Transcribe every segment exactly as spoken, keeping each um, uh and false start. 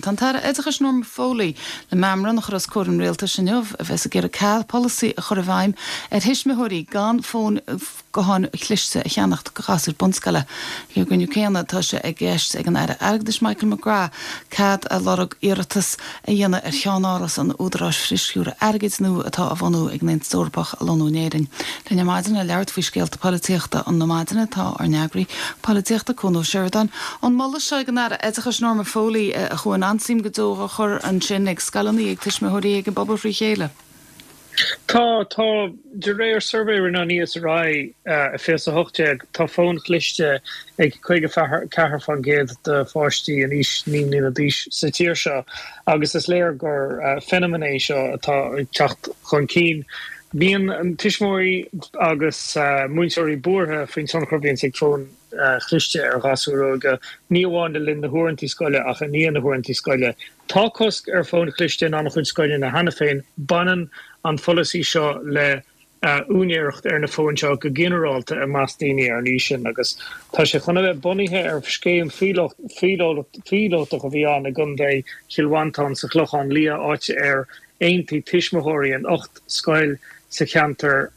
Tá an tAire Oideachais Norma Foley le meamram a chur os comhair an rialtais inniu a bheas ag iarraidh cead polasaí a chur i bhfeidhm ar thuismitheoirí gan fóin gutháin chliste a cheannacht do ghasúir bunscoile. Ag an gcruinniú céanna tá sé i gceist ag an Aire Airgeadais Michael McGrath cead a lorg iarratas a dhéanamh ar cheannáras an Údaráis Frithsciúradh Airgid nua atá á bhunú ag an Aontas Eorpach a lonnú in Éirinn. Linn ar maidin le labhairt faoi scéalta polaitíochta na maidine tá ár n-eagraí polaitíochta Cuan Ó Seireadáin. An moladh seo ag an Aire Oideachais Norma Foley a chuaigh an-suim go deo a chur ansin ag scoileanna ag tuismitheoirí ag an bpobal frí chéile. Tá tá de réir suirbhé rinne an ESRI fiche a hocht déag tá fón cliste ag caoga ceathair faoin gcéad de pháistí in aois naoi mbliana d'aois sa tír seo agus is léir gur feiniméan é seo atá ag teacht chun cinn. Bíonn tuismitheoirí agus múinteoirí buartha faoin tionchar a bhíonn ag fóin chliste ar ghasúir óga, ní amháin le linn na huaireanta scoile ach i ndiaidh na huaireanta scoile. Tá cosc ar fóin chliste in an-chuid scoileanna cheana féin baineann an pholasaí seo le úinéireacht ar na fóin seo go ginearálta i measc daoine ar an aois sin agus tá sé chun a bheith bunaithe ar scéim phíolótach a bhí ann i gContae Chill Mhantáin sa Chlochán Liath áit ar aontaigh tuismitheoirí in ocht scoil sa cheantar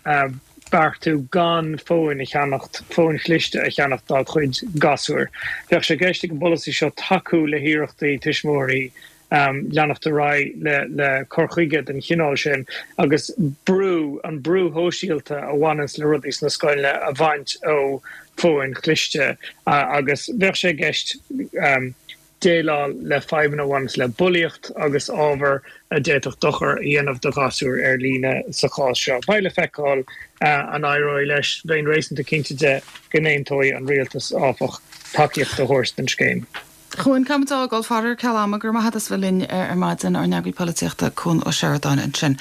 beartú gan fóin a cheannacht fóin chliste a cheannacht dá gcuid gasúir. Bheadh sé i gceist ag an bpolasaí seo tacú le hiarrachtaí tuismitheoirí leanacht ar aghaidh le le cur chuige den chineál sin agus brú an brú sóisialta a bhaineanns le rudaí sna scoileanna a bhaint ó fóin chliste agus bheadh sé i gceist déileáil le fadhbanna a bhaineanns le bulaíocht agus ábhar a d'fhéadfadh dochar a dhéanamh do ghasúir ar líne sa chás seo. Beidh le feiceáil an éireoidh leis bheinn réasúnta cinnte de go n-aontóidh an rialtas áfach tacaíocht a thabhairt don scéim. Chuan cam dá fáil ar ceal ama gur maith as bheith linn ar maidin ár n-eagraí polaitíochta Cuan Ó Seireadáin ansin.